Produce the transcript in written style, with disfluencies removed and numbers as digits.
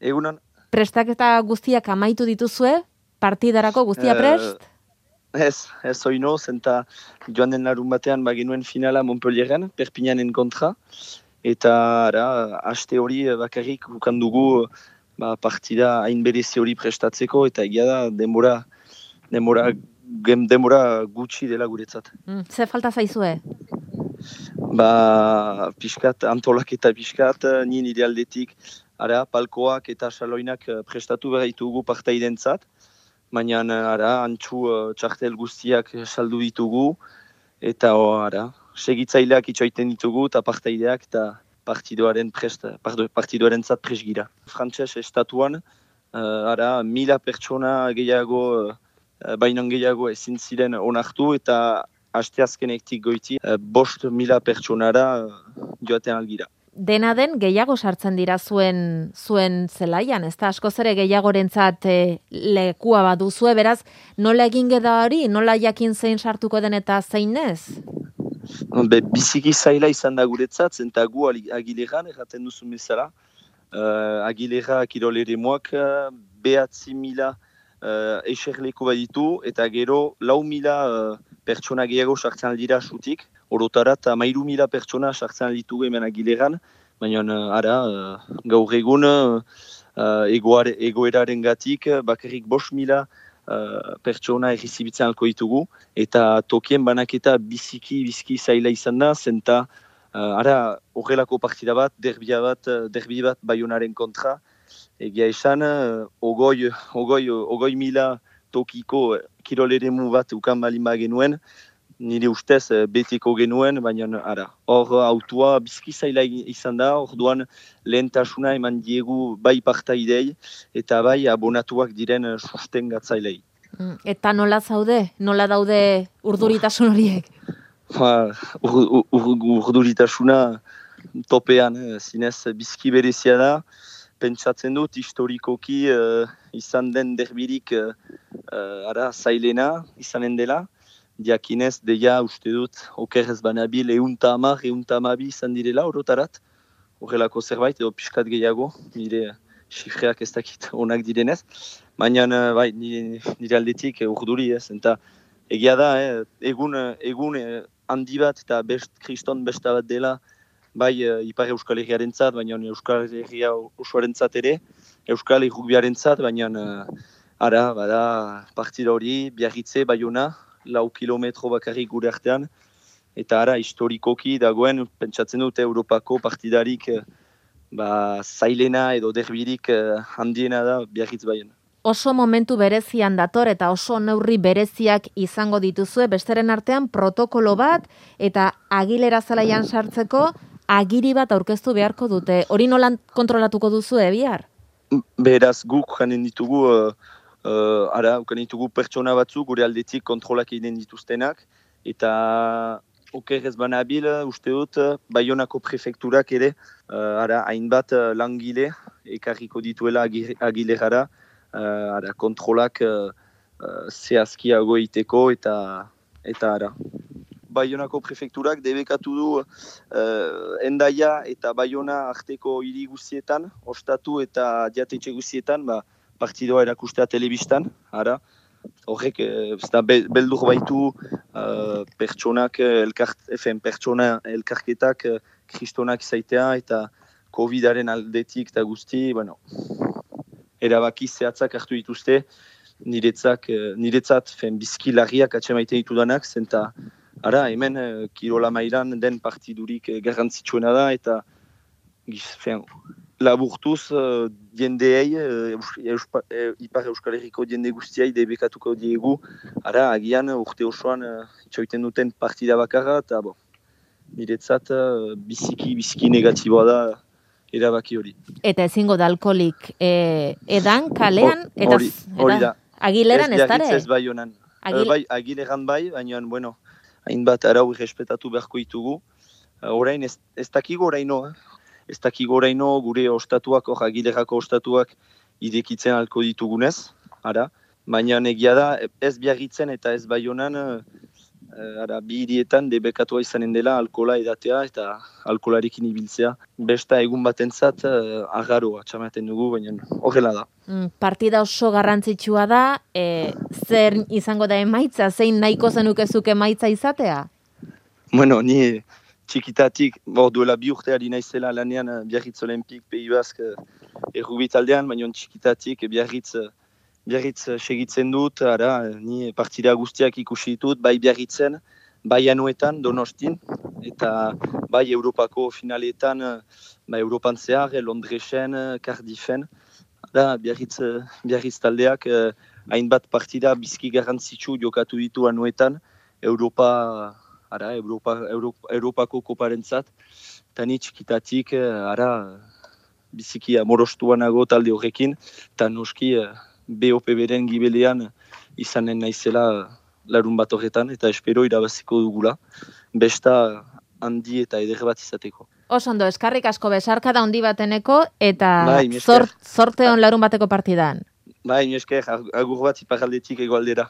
Egunon? Prestaketa guztiak amaitu dituzue? Partidarako guztia prest? Ez oino, zenta joan den larun batean baginuen finala Montpellieren, Perpignanen kontra, eta haste hori bakarrik ukandugu partida hain berezi hori prestatzeko, eta egia da denbora gutxi dela guretzat. Ze falta zaizue? Piskat, antolaketa piskat, nire aldetik, palkoak eta saloinak prestatu behar ditugu partaidentzat, baina antxu txartel guztiak saldu ditugu, eta segitzaileak itxoiten ditugu, eta partaideak eta partidoaren zat prest gira. Frantses estatuan, 1000 pertsona gehiago, bainan gehiago ezin ziren onartu, eta asteazkenektik goiti, 5.000 pertsonara joaten algira. Dena den gehiago sartzen dira zuen zelaian, ez da askoz ere gehiagorentzat lekua baduzue, beraz, nola egin da hori, nola jakin zein sartuko den eta zein ez? Biziki zaila izan da guretzat, zenta gu Agileran, erraten duzun bezala, Agilera kirolere moak 9.000 eserleko baditu, eta gero 4.000 pertsona gehiago sartzen aldira sutik, orotarat 13.000 pertsona sartzen ditugu hemen Agileran, baina gaur egun egoeraren gatik bakarrik 5.000 pertsona errezibitzen alko ditugu, eta tokien banaketa biziki zaila izan da, zenta horrelako partida bat, derbi bat Baionaren kontra, egia esan, ogoi mila tokiko kiroleremu bat ukan balin genuen, nire ustez betiko genuen, baina hor autua bizki zaila izan da, orduan lehentasuna eman diegu bai partaidei eta bai abonatuak diren sustengatzailei. Eta nola zaude? Nola daude urduritasun horiek? Urduritasuna topean, zinez bizki berezia da, pentsatzen dut historikoki izan den derbirik zailena izanen dela, diakinez, deia uste dut, okerrez banabil, 110 izan direla orotarat, horrelako zerbait, edo piskat gehiago, nire xifreak ez dakit onak direnez, baina nire aldetik urduri ez, eta egia da, egun handi bat eta kriston besta bat dela, bai Ipar Euskal Herriaren zat, baina Euskal Herria osoaren zat ere, Euskal Herriaren zat, baina bada partida hori, Biarritze, Baiona, 4 kilometro bakarrik gure artean, eta historikoki dagoen, pentsatzen dute Europako partidarik zailena edo derbirik handiena da Biarritz Baiona. Oso momentu berezian dator eta oso neurri bereziak izango dituzue, besteren artean protokolo bat eta Agilera zelaian sartzeko agiri bat aurkeztu beharko dute. Hori nola kontrolatuko duzu bihar? Beraz guk janen ditugu, pertsona batzuk gure aldetik kontrolak egiten dituztenak, eta okerrez banabil, uste dut, Baionako prefekturak ere, hainbat langile ekarriko dituela Agilerara, kontrolak zehazkiago egiteko, eta Baionako prefekturak debekatu du Endaia eta Baiona arteko hiri guztietan, ostatu eta diatetxe guztietan, partidoa erakustea telebistan, horrek beldur baitu pertsona elkarketak kristonak izaitea eta COVID-aren aldetik eta guzti, erabaki zehatzak hartu dituzte, niretzat bizki larriak atxemaiten ditudanak, zenta hemen kirola mailan den partidurik garrantzitsuena da, eta laburtuz jendeei, Ipar Euskal Herriko jende guztiai debekatuko diegu, agian urte osoan itxoiten duten partida bakarra, eta niretzat biziki negatiboa da erabaki hori. Eta ezingo da alkoholik edan, kalean, eta Agileran ez dara? Ez Baionan. Agileran bai, baina, hainbat arau irrespetatu beharko ditugu. Orain, ez dakigo oraino, ez dakigo oraino gure ostatuak, Agilerako ostatuak irekitzen alko ditugunez, baina egia da, ez Biarritzen eta ez Baionan Ara, bi hirietan debekatua izanen dela alkola edatea eta alkolarekin ibiltzea. Besta egun batentzat agarroa txamaten dugu, baina horrela da. Partida oso garrantzitsua da, zer izango da emaitza, zein nahiko zenukezuk emaitza izatea? Bueno, ni txikitatik, duela 2 urte ari naizela lanean Biarritz Olimpik Pays Basque errubi taldean, baina txikitatik Biarritz segitzen dut, ni partida guztiak ikusi ditut, bai Biarritzen, bai Anoetan, Donostin, eta bai Europako finaletan, bai Europan zehar, Londresen, Cardiffen. Biarritz taldeak hainbat partida bizki garrantzitsu jokatu ditu Anoetan, Europako koparentzat, eta ni txikitatik, biziki amorostuanago talde horrekin, eta noski BOPB-ren gibelean izanen naizela larun bat horretan, eta espero irabaziko dugula, besta handi eta eder bat izateko. Osondo, eskarrik asko besarka da handi bateneko, eta bai, zorte hon larun bateko partidan. Bai, esker, agur bat iparaldetik egoaldera.